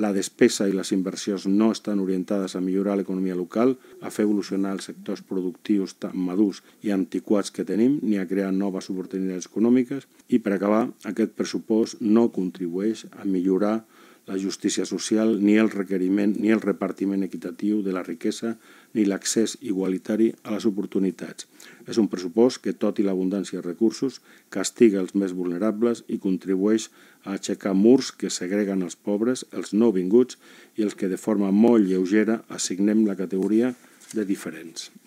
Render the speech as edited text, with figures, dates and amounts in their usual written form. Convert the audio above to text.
La despesa i les inversions no estan orientades a millorar l'economia local, a fer evolucionar els sectors productius tan madurs i antiquats que tenim, ni a crear noves oportunitats econòmiques. I per acabar, aquest pressupost no contribueix a millorar la justícia social, ni el requeriment ni el repartiment equitatiu de la riquesa, ni l'accés igualitari a les oportunitats. És un pressupost que, tot i l'abundància de recursos, castiga els més vulnerables i contribueix a aixecar murs que segreguen els pobres, els nouvinguts i els que de forma molt lleugera assignem la categoria de diferents.